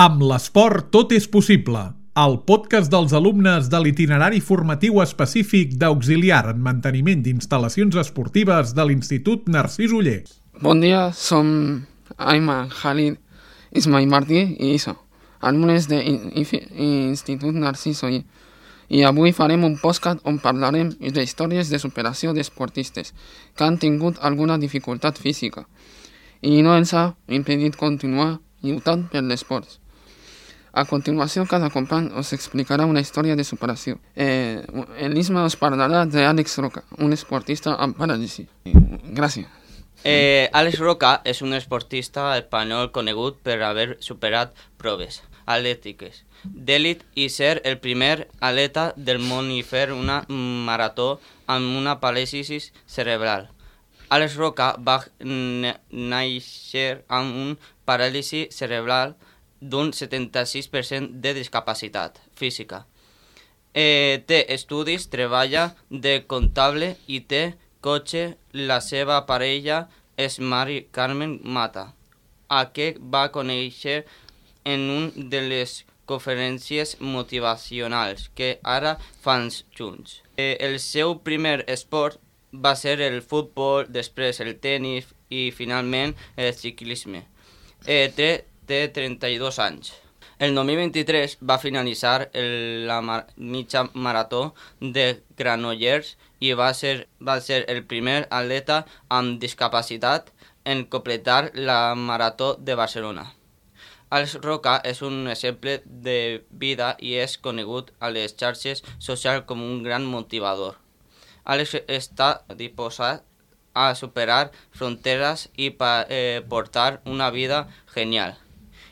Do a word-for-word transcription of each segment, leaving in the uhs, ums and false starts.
Amb l'esport tot és possible. El podcast dels alumnes de l'itinerari formatiu específic d'auxiliar en manteniment d'instal·lacions esportives de l'Institut Narcís Oller. Bon dia, som Ayman, Khalid, Ismail Martí i Isa, alumnes de l'Institut Narcís Oller. I avui farem un podcast on parlarem de històries de superació d'esportistes que han tingut alguna dificultat física i no ens ha impedit continuar lluitant per l'esport. A continuació, cada company us explicarà una història de superació. Eh, L'Isma us parlarà d'Àlex Roca, un esportista amb paràlisi. Gràcies. Eh, Àlex Roca és un esportista espanyol conegut per haver superat proves atlètiques d'elit i ser el primer atleta del món i fer una marató amb una paràlisi cerebral. Àlex Roca va néixer amb un paràlisi cerebral d'un setanta-sis per cent de discapacitat física. Eh, té estudis, treballa de comptable i té cotxe. La seva parella és Mari Carmen Mata, a què va conèixer en una de les conferències motivacionals que ara fan junts. Eh, el seu primer esport va ser el futbol, després el tenis i finalment el ciclisme. Eh, té té trenta-dos anys. El dos mil vint-i-tres va finalitzar el, la mar, mitja marató de Granollers i va ser, va ser el primer atleta amb discapacitat en completar la marató de Barcelona. Àlex Roca és un exemple de vida i és conegut a les xarxes socials com un gran motivador. Àlex està disposat a superar fronteres i pa, eh, portar una vida genial.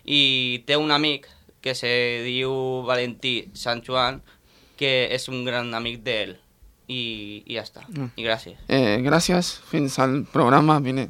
I té un amic que se diu Valentí Sant Joan, que és un gran amic d'ell. I, i ja està. I gràcies. Eh, gràcies. Fins al programa vinent.